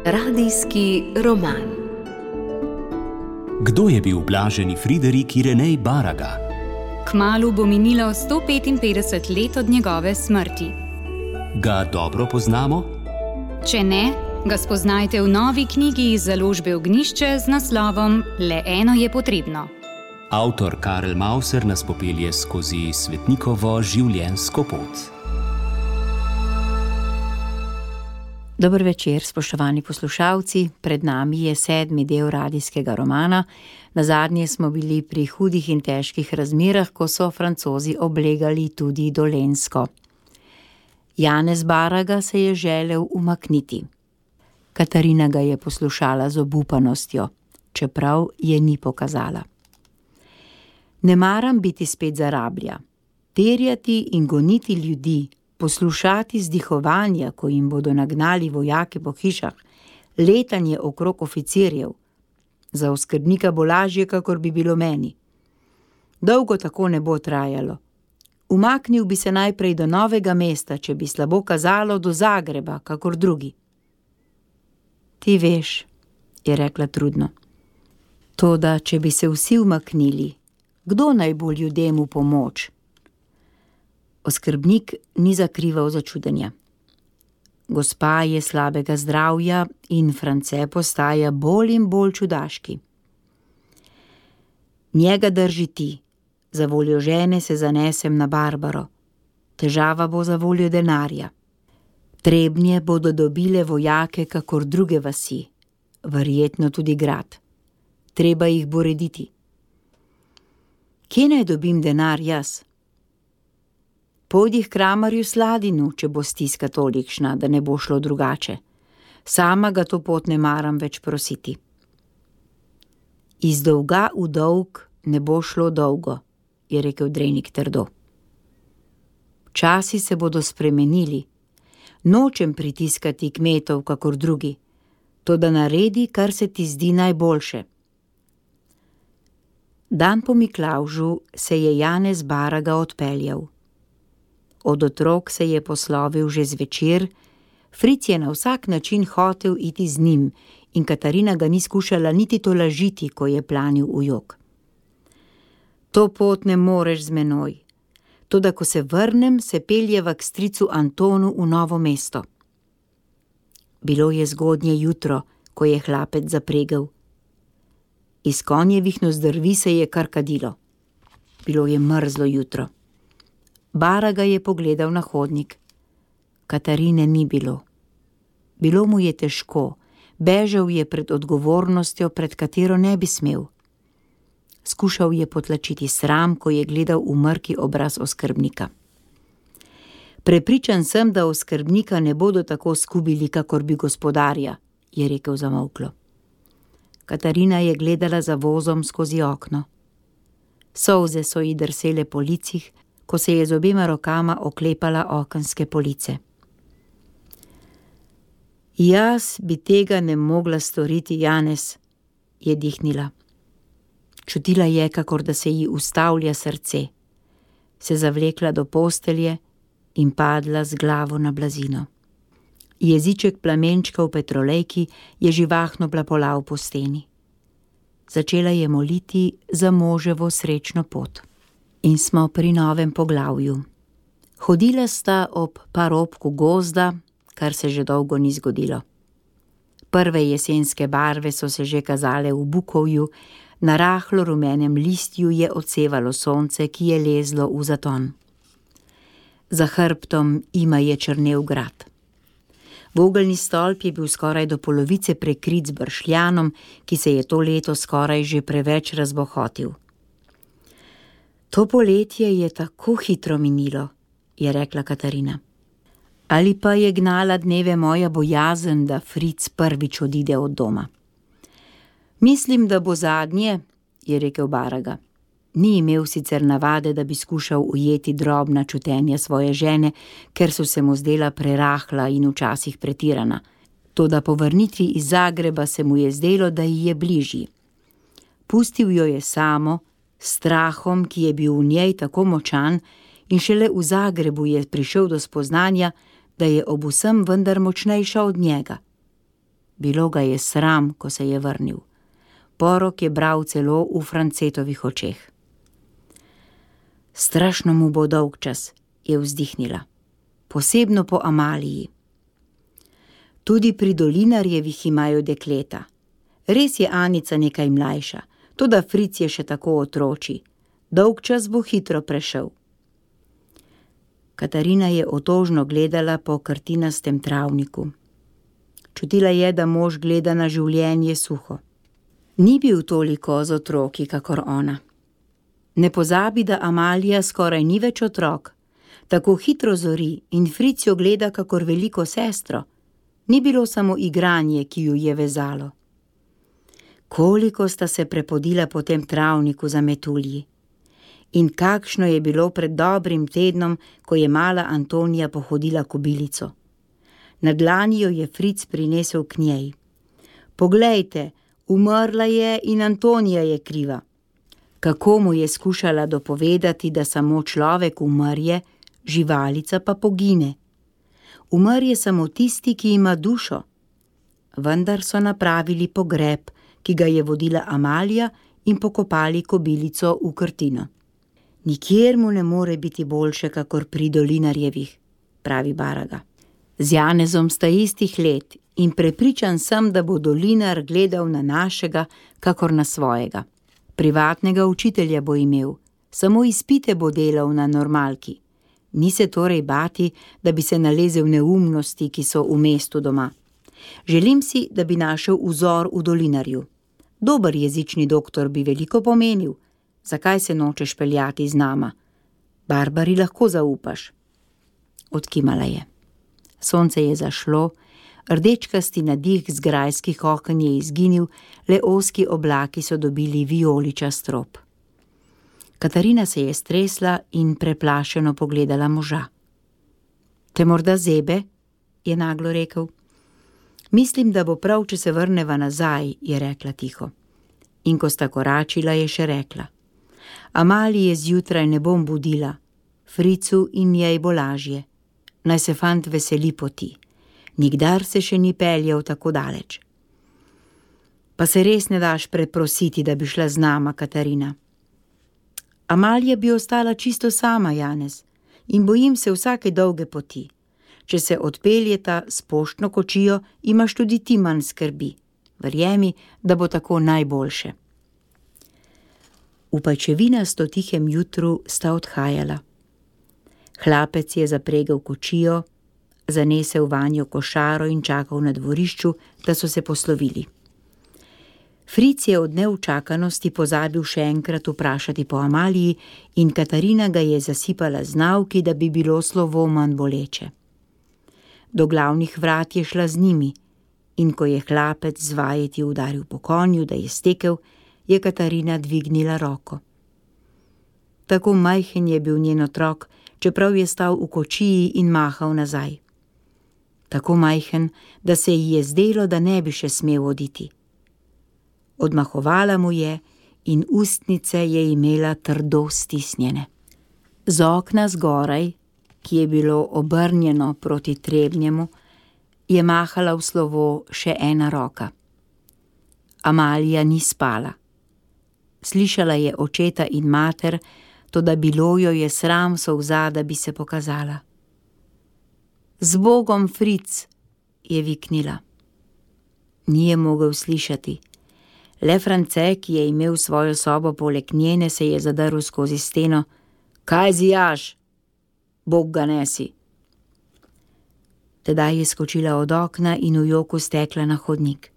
Radijski roman. Kdo je bil blaženi Friderik Irenej Baraga? Kmalu bo minilo 155 let od njegove smrti. Ga dobro poznamo? Če ne, ga spoznajte v novi knjigi iz založbe Ognjišče z naslovom Le eno je potrebno. Avtor Karel Mauser nas popelje skozi svetnikovo življenjsko pot. Dober večer, spoštovani poslušalci. Pred nami je 7. del radijskega romana. Nazadnje smo bili pri hudih in težkih razmerah, ko so Francozi oblegali tudi Dolenjsko. Janez Baraga se je želel umakniti. Katarina ga je poslušala z obupanostjo, čeprav je ni pokazala. Ne maram biti spet zarablja, terjati in goniti ljudi, poslušati zdihovanja, ko jim bodo nagnali vojake po hišah, letanje okrog oficirjev. Za oskrbnika bo lažje, kakor bi bilo meni. Dolgo tako ne bo trajalo. Umaknil bi se najprej do Novega mesta, če bi slabo kazalo, do Zagreba, kakor drugi. Ti veš, je rekla trudno. Toda, če bi se vsi umaknili, kdo naj bo ljudem v pomoč? Oskrbnik ni zakrival začudenja. Gospa je slabega zdravja in France postaja bolj in bolj čudaški. Njega drži ti, za voljo žene se zanesem na Barbaro. Težava bo za voljo denarja. Trebnje bodo dobile vojake kakor druge vasi, verjetno tudi grad. Treba jih bo rediti. Kje naj dobim denar jaz? Pojdi k kramarju Sladinu, če bo stiska tolikšna, da ne bo šlo drugače. Sama ga to pot ne maram več prositi. Iz dolga v dolg ne bo šlo dolgo, je rekel Drenik trdo. Časi se bodo spremenili. Nočem pritiskati kmetov kakor drugi, toda naredi, kar se ti zdi najboljše. Dan po Miklavžu se je Janez Baraga odpeljal. Od otrok se je poslovil že zvečer, Fric je na vsak način hotel iti z njim in Katarina ga ni skušala niti tolažiti, ko je planil v jok. To pot ne moreš z menoj, toda ko se vrnem, se peljeva k stricu Antonu v Novo mesto. Bilo je zgodnje jutro, ko je hlapec zapregel. Iz konjevih nozdrvi se je kar kadilo. Bilo je mrzlo jutro. Baraga je pogledal na hodnik. Katarine ni bilo. Bilo mu je težko, bežal je pred odgovornostjo, pred katero ne bi smel. Skušal je potlačiti sram, ko je gledal v mrki obraz oskrbnika. Prepričan sem, da oskrbnika ne bodo tako skubili, kakor bi gospodarja, je rekel zamolklo. Katarina je gledala za vozom skozi okno. Solze so ji drsele po licih, ko se je z obema rokama oklepala okenske police. Jaz bi tega ne mogla storiti, Janez, je dihnila. Čutila je, kakor da se ji ustavlja srce. Se zavlekla do postelje in padla z glavo na blazino. Jeziček plamenčka v petrolejki je živahno plapolal po steni. Začela je moliti za moževo srečno pot. In smo pri novem poglavju. Hodila sta ob parobku gozda, kar se že dolgo ni zgodilo. Prve jesenske barve so se že kazale v bukovju, na rahlo rumenem listju je odsevalo sonce, ki je lezlo v zaton. Za hrbtom ima je črnel grad. Vogelni stolp je bil skoraj do polovice prekrit z bršljanom, ki se je to leto skoraj že preveč razbohotil. To poletje je tako hitro minilo, je rekla Katarina. Ali pa je gnala dneve moja bojazen, da Fric prvič odide od doma. Mislim, da bo zadnje, je rekel Baraga. Ni imel sicer navade, da bi skušal ujeti drobna čutenja svoje žene, ker so se mu zdela prerahla in včasih pretirana. Toda po vrnitvi iz Zagreba se mu je zdelo, da ji je bližji. Pustil jo je samo, strahom, ki je bil v njej tako močan, in šele v Zagrebu je prišel do spoznanja, da je ob vsem vendar močnejša od njega. Bilo ga je sram, ko se je vrnil. Porok je bral celo v Francetovih očeh. Strašno mu bo dolgčas, je vzdihnila. Posebno po Amaliji. Tudi pri Dolinarjevih imajo dekleta. Res je Anica nekaj mlajša, toda Fric je še tako otroči. Dolgčas bo hitro prešel. Katarina je otožno gledala po krtinastem travniku. Čutila je, da mož gleda na življenje suho. Ni bil toliko z otroki, kakor ona. Ne pozabi, da Amalija skoraj ni več otrok. Tako hitro zori in Fric jo gleda kakor veliko sestro. Ni bilo samo igranje, ki ju je vezalo. Koliko sta se prepodila po tem travniku za metulji. In kakšno je bilo pred dobrim tednom, ko je mala Antonija pohodila kobilico. Na dlani jo je Fric prinesel k njej. Poglejte, umrla je in Antonija je kriva. Kako mu je skušala dopovedati, da samo človek umrje, živalica pa pogine. Umrje samo tisti, ki ima dušo. Vendar so napravili pogreb, ki ga je vodila Amalija, in pokopali kobilico v krtino. Nikjer mu ne more biti boljše, kakor pri Dolinarjevih, pravi Baraga. Z Janezom sta istih let in prepričan sem, da bo Dolinar gledal na našega, kakor na svojega. Privatnega učitelja bo imel, samo izpite bo delal na normalki. Ni se torej bati, da bi se nalezel neumnosti, ki so v mestu doma. Želim si, da bi našel vzor v Dolinarju. Dober jezični doktor bi veliko pomenil. Zakaj se nočeš peljati z nama? Barbari lahko zaupaš. Odkimala je. Sonce je zašlo, rdečkasti nadih z grajskih oken je izginil, le ozki oblaki so dobili vijoličast rob. Katarina se je stresla in preplašeno pogledala moža. Te morda zebe? Je naglo rekel. Mislim, da bo prav, če se vrneva nazaj, je rekla tiho. In ko sta koračila, je še rekla. Amalije zjutraj ne bom budila, Fricu in njej bo lažje. Naj se fant veseli poti. Nikdar se še ni peljal tako daleč. Pa se res ne daš preprositi, da bi šla z nama, Katarina. Amalija bi ostala čisto sama, Janez, in bojim se vsake dolge poti. Če se odpeljeta s poštno kočijo, imaš tudi ti manj skrbi. Verjemi, da bo tako najboljše. V pajčevinasto tihem jutru sta odhajala. Hlapec je zapregel kočijo, zanesel vanjo košaro in čakal na dvorišču, da so se poslovili. Fric je od neučakanosti pozabil še enkrat vprašati po Amaliji in Katarina ga je zasipala z nauki, da bi bilo slovo manj boleče. Do glavnih vrat je šla z njimi in ko je hlapec z vajeti udaril po konju, da je stekel, je Katarina dvignila roko. Tako majhen je bil njen otrok, čeprav je stal v kočiji in mahal nazaj. Tako majhen, da se ji je zdelo, da ne bi še smel oditi. Odmahovala mu je in ustnice je imela trdo stisnjene. Z okna zgoraj, ki je bilo obrnjeno proti Trebnjemu, je mahala v slovo še ena roka. Amalija ni spala. Slišala je očeta in mater, toda bilo jo je sram solza, da bi se pokazala. Z Bogom, Fric, je viknila. Ni je mogel slišati. Le France, ki je imel svojo sobo poleg njene, se je zadrl skozi steno. Kaj zijaš? Bog ga nesi. Tedaj je skočila od okna in v joku stekla na hodnik.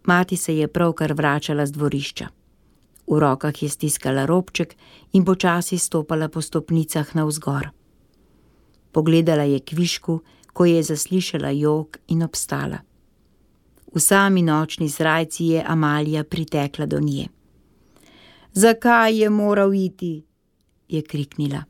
Mati se je pravkar vračala z dvorišča. V rokah je stiskala robček in počasi stopala po stopnicah navzgor. Pogledala je kvišku, ko je zaslišala jok in obstala. V sami nočni srajci je Amalija pritekla do nje. Zakaj je moral iti? Je kriknila.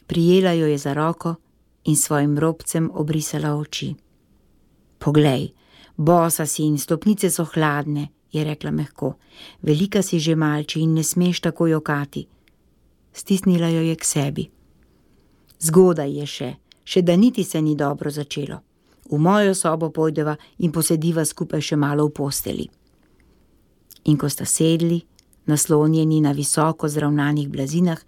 Prijela jo je za roko in svojim robcem obrisala oči. Poglej, bosa si in stopnice so hladne, je rekla mehko. Velika si že malči in ne smeš tako jokati. Stisnila jo je k sebi. Zgodaj je še Še da niti se ni dobro začelo. V mojo sobo pojdeva in posediva skupaj še malo v posteli. In ko sta sedli, naslonjeni na visoko zravnanih blazinah,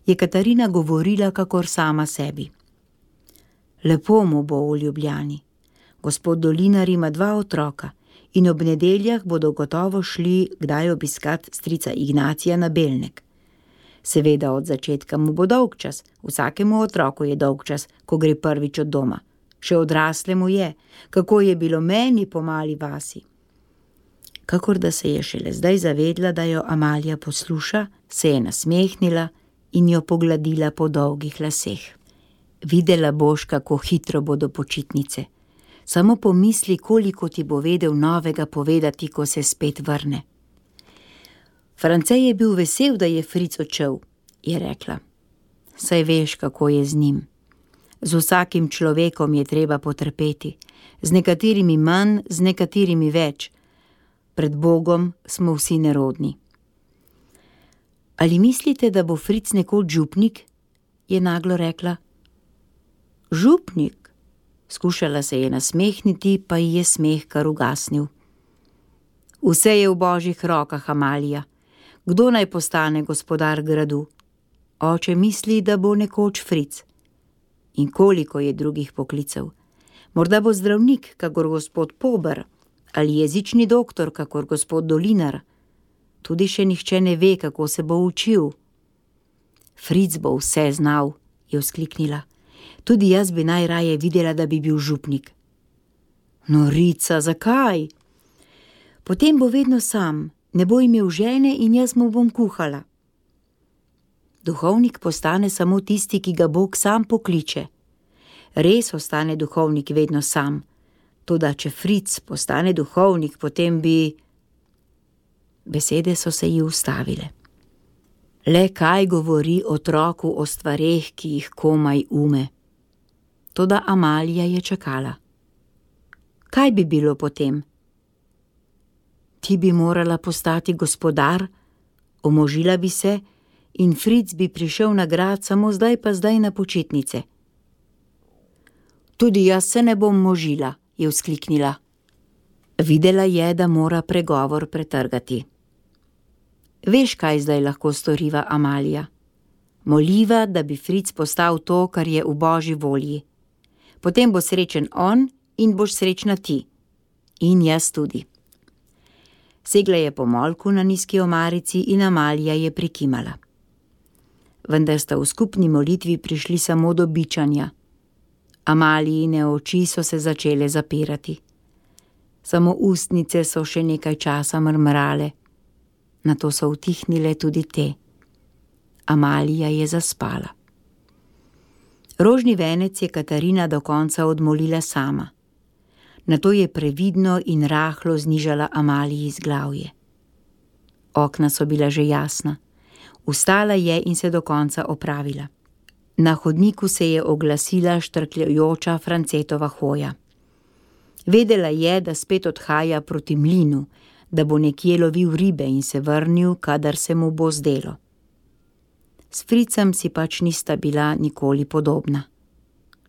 je Katarina govorila kakor sama sebi. Lepo mu bo v Ljubljani. Gospod Dolinar ima 2 otroka in ob nedeljah bodo gotovo šli kdaj obiskat strica Ignacija na Belnek. Seveda od začetka mu bo dolgčas, vsakemu otroku je dolgčas, ko gre prvič od doma. Še odraslemu je, kako je bilo meni po mali vasi. Kakor da se je šele zdaj zavedla, da jo Amalija posluša, se je nasmehnila in jo pogladila po dolgih laseh. Videla boš, kako hitro bodo počitnice. Samo pomisli, koliko ti bo vedel novega povedati, ko se spet vrne. France je bil vesel, da je Fric odšel, je rekla. Saj veš, kako je z njim. Z vsakim človekom je treba potrpeti, z nekaterimi manj, z nekaterimi več. Pred Bogom smo vsi nerodni. Ali mislite, da bo Fric nekoč župnik? Je naglo rekla. Župnik? Skušala se je nasmehniti, pa ji je smeh kar ugasnil. Vse je v božjih rokah, Amalija. Kdo naj postane gospodar gradu? Oče misli, da bo nekoč Fric. In koliko je drugih poklicev? Morda bo zdravnik, kakor gospod Pober, ali jezični doktor, kakor gospod Dolinar. Tudi še nihče ne ve, kako se bo učil. Fric bo vse znal, je vzkliknila. Tudi jaz bi najraje videla, da bi bil župnik. Norica, zakaj? Potem bo vedno sam, ne bo imel žene in jaz mu bom kuhala. Duhovnik postane samo tisti, ki ga Bog sam pokliče. Res ostane duhovnik vedno sam. Toda če Fric postane duhovnik, potem bi... Besede so se ji ustavile. Le kaj govori otroku o stvareh, ki jih komaj ume. Toda Amalija je čakala. Kaj bi bilo potem? Ti bi morala postati gospodar, omožila bi se in Fric bi prišel na grad samo zdaj pa zdaj na počitnice. Tudi jaz se ne bom možila, je vzkliknila. Videla je, da mora pregovor pretrgati. Veš, kaj zdaj lahko storiva, Amalija? Moliva, da bi Fric postal to, kar je v božji volji. Potem bo srečen on in boš srečna ti. In jaz tudi. Segla je po molku na nizki omarici in Amalija je prikimala. Vendar sta v skupni molitvi prišli samo do bičanja. Amalijine oči so se začele zapirati. Samo ustnice so še nekaj časa mrmrale. Nato so utihnile tudi te. Amalija je zaspala. Rožni venec je Katarina do konca odmolila sama. Nato je previdno in rahlo znižala Amaliji zglavje. Okna so bila že jasna. Vstala je in se do konca opravila. Na hodniku se je oglasila štrkljajoča Francetova hoja. Vedela je, da spet odhaja proti mlinu, da bo nekje lovil ribe in se vrnil, kadar se mu bo zdelo. S Fricem si pač nista bila nikoli podobna,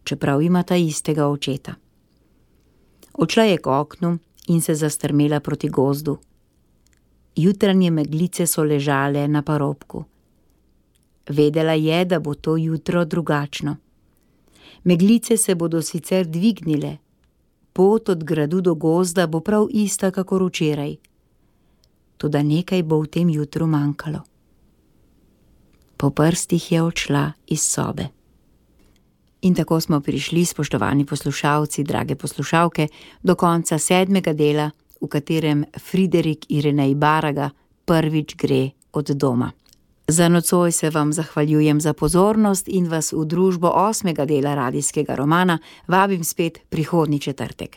čeprav imata istega očeta. Odšla je k oknu in se zastrmela proti gozdu. Jutranje meglice so ležale na parobku. Vedela je, da bo to jutro drugačno. Meglice se bodo sicer dvignile, pot od gradu do gozda bo prav ista kakor včeraj. Toda nekaj bo v tem jutru manjkalo. Po prstih je odšla iz sobe. In tako smo prišli, spoštovani poslušalci, drage poslušalke, do konca 7. dela, v katerem Friderik Irenej Baraga prvič gre od doma. Za nocoj se vam zahvaljujem za pozornost in vas v družbo 8. dela radijskega romana vabim spet prihodnji četrtek.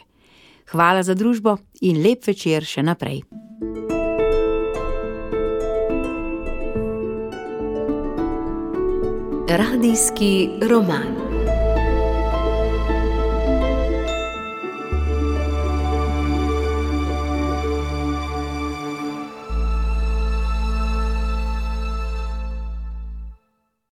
Hvala za družbo in lep večer še naprej. Radijski roman.